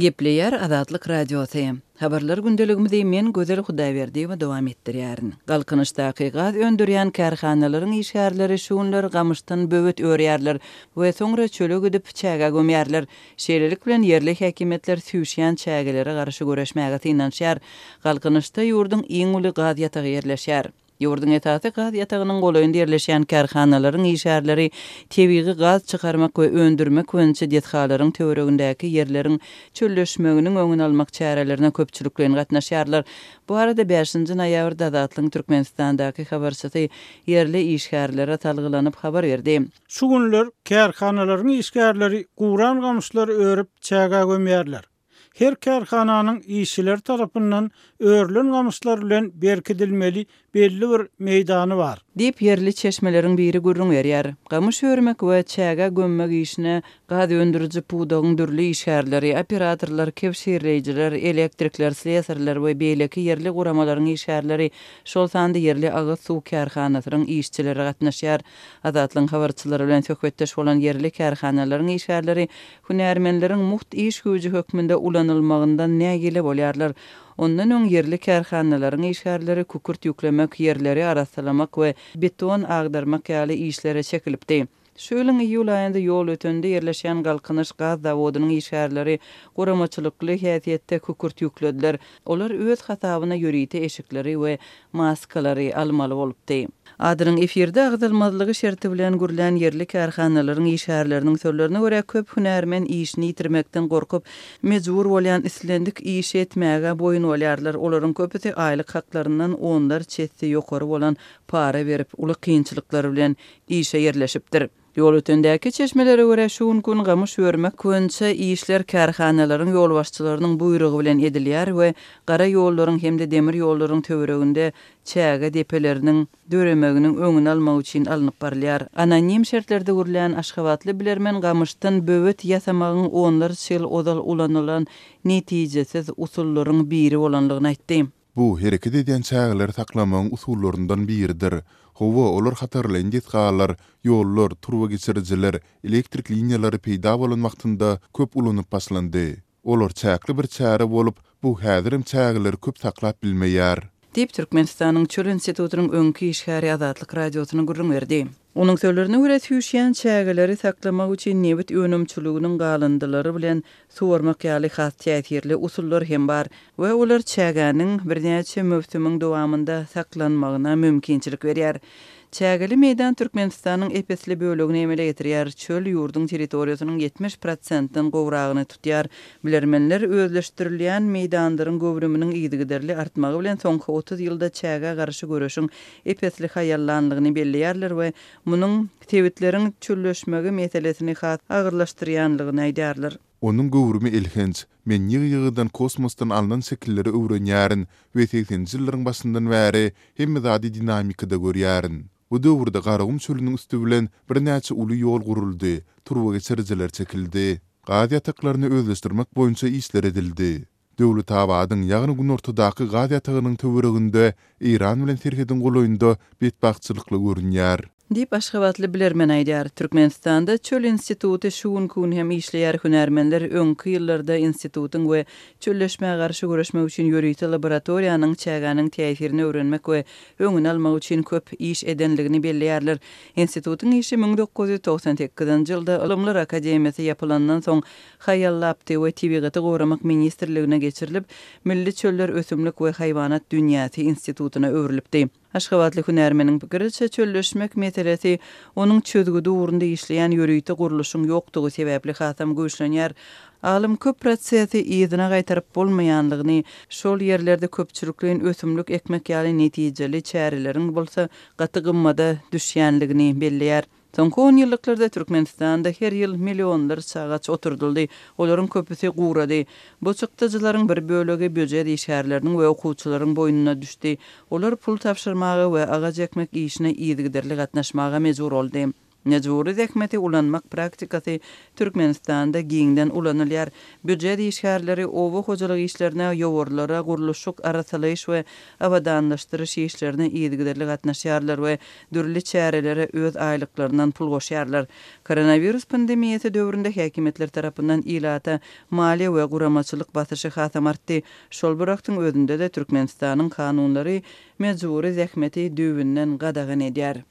Gepleýär Azatlyk Radiosy. Habarlar gündeligimizi men Gözel Hudaýberdiýewa dowam etdirýärin. Galkynyşdaky gaz öndürýän kärhanalaryň işgärleri şu günler gamyşdan böwet örýärler we soňra çöle gidip, çägä gömýärler. Şeýlelik bilen, ýerli häkimiýetler süýşýän çägelere garşy göreşmäge synanyşýar. Galkynyşda ýurduň iň uly gaz ýatagy ýerleşýär. Ýurduň esasy gaz ýatagynyň golaýynda ýerleşýän kärhanalaryň işgärleri tebigy gaz çykarmak we öndürmek boýunça desgalaryň töweregindäki ýerleriň çölleşmeginiň öňüni almak çärelerine köpçülikleýin gatnaşýarlar. Bu barada bäşinji noýabrda Azatlygyň Türkmenistandaky habarçysy ýerli işgärlere salgylanyp habar berdi. Şu günler kärhanalaryň işgärleri guran gamyşlary örüp, çägä gömýärler. Her kärhananyň işçileri tarapyndan örülen gamyşlar bilen berkidilmeli belli bir meýdany bar. Diýip, ýerli çeşmeleriň biri gürrüň berýär. Gamyş örmek we çägä gömmek işine gaz öndüriji pudagyň dürli işgärleri, operatorlar, kebşirleýjiler, elektrikler, slesarlar we beýleki ýerli guramalaryň işgärleri, şol sanda ýerli agyz suw kärhanasynyň işçileri gatnaşýar. Azatlygyň habarçylary bilen söhbetdeş bolan ýerli kärhanalaryň işgärleri Hünärmenleriň mugt iş güýji hökmünde ulanylmagyndan nägile bolýarlar. Ondan öň ýerli kärhanalaryň işgärleri kükürt ýüklemek, ýerleri arassalamak we beton agdarmak ýaly işlere çekilipdi. Şu ýylyň iýul aýynda Ýolötende ýerleşýän Galkynyş gaz zawodynyň işgärleri guramaçylykly häsiýetde kükürt ýüklediler. Olar öz hasabyna ýörite eşikleri we maskalary almaly bolupdy. Adynyň efirde agzalmazlygy şerti bilen gürlän ýerli kärhanalaryň işgärleriniň sözlerine görä, köp hünärmen işini ýitirmekden gorkup, mejbur bolýan islendik işi etmäge boýun bolýarlar. Olaryň köpüsi aýlyk haklaryndan onlarça esse ýokary bolan para berip, uly kynçylyklar bilen işe ýerleşipdir. Ýolötendäki çeşmelere görä, şu günki gün gamyş örmek boýunça işler kärhanalaryň ýolbaşçylarynyň buýrugy bilen edilýär we gara ýollaryň hem-de demir ýollaryň töwereginde çäge depeleriniň döremeginiň öňüni almak üçin alnyp barylýar. Anonim şertlerde gürlän aşgabatly bilermen gamyşdan böwet ýasamagyň onlarça ýyl ozal ulanylan netijesiz usullaryň biri bolandygyny aýtdy. Bu, hereket edýän çägeleri saklamagyň usullaryndan biridir. Hawa, olar hatarlaýyn desgalar, ýollar, turbageçirijiler, elektrik liniýalary peýda bolan wagtynda köp ulanyp başlandy. Olar çäkli bir çäre bolup, bu häzirem çägeleri köp saklap bilmeýär. Diýip, Türkmenistanyň Çöl institutynyň öňki işgäri Azatlyk Radiosyna gürrüň berdi. Onuň sözlerine görä, süýşýän çägeleri saklamak üçin nebit önümçiliginiň galyndylary bilen suwarmak ýaly has täsirli usullar hem bar we olar çägäniň birnäçe möwsümiň dowamynda saklanmagyna mümkinçilik berýär. Çägeli meýdan Türkmenistanyň ep-esli bölegini emele getirýär, çöl ýurduň territoriýasynyň 70 prosentden gowragyny tutýar. Bilermenler özleşdirilýän meýdanlaryň göwrüminiň yzygiderli artmagy bilen soňky 30 ýylda çägä garşy göreşiň ep-esli haýallanlygyny belleýärler we munuň sebitleriň çölleşmegi meselesini has agyrlaşdyrýanlygyny aýdýarlar. Onuň göwrümi elhenç. Men ýygy-ýygydan kosmosdan alnan şekilleri öwrenýärin we segseninji ýyllaryň başyndan bäri hemme zady dinamikada görýärin. Bu döwürde Garagum çölüniň üsti bilen birnäçe uly ýol guruldy, turbageçirijiler çekildi. Gaz ýataklaryny özleşdirmek boýunça işler edildi. Döwletabadyň, ýagny günortadaky gaz ýatagynyň töwereginde Eýran bilen serhediň golaýynda betbagtçylykly görünýär. Diýip, aşgabatly bilermen aýdýar. Türkmenistanda Çöl instituty şu günki gün hem işleýär, hünärmenler öňki ýyllarda institutyň we çölleşmä garşy göreşmek üçin ýörite laboratoriýanyň çägäniň täsirini öwrenmek we öňüni almak üçin köp iş edenligini belleýärler. Institutyň işi 1998-nji ýylda Ylymlar akademiýasy ýapylandan soň haýallapdy we Tebigaty goramak ministrligine geçirilip, Milli çöller ösümlik we haýwanat dünýäsi institutyna öwrülipdi. Aşgabatly hünärmeniň pikiriçe, çölleşmek meselesi onuň çözgüdi ugrunda işleýän ýörite gurluşyň ýokdugy sebäpli hasam güýçlenýär. Alym köp prosesi yzyna gaýtaryp bolmaýanlygyny, şol ýerlerde köpçülikleýin ösümlik ekmek ýaly netijeli çäreleriň bolsa gaty gymmada düşýänligini belleýär. Soňky onýyllyklarda Türkmenistanda her ýyl millionlarça agaç oturdyldy, olaryň köpüsi gurady. Bu çykdajylaryň bir bölegi býujet işgärleriniň we okuwçylaryň boýnuna düşdi. Olar pul tabşyrmaga we agaç ekmek işine yzygiderli gatnaşmaga mejbur boldy. Mejbury zähmeti ulanmak praktikasy Türkmenistanda giňden ulanylýar. Býujet işgärleri oba hojalyk işlerine, ýowarlara, gurluşyk, arassalaýyş we abadanlaşdyryş işlerine yzygiderli gatnaşýarlar we dürli çärelere öz aýlyklaryndan pul goşýarlar. Koronawirus pandemiýasy döwründe häkimiýetler tarapyndan ilata maliýe we guramaçylyk basyşy hasam artdy. Şol bir wagtyň özünde-de Türkmenistanyň kanunlary mejbury zähmeti düýbünden gadagan edýär.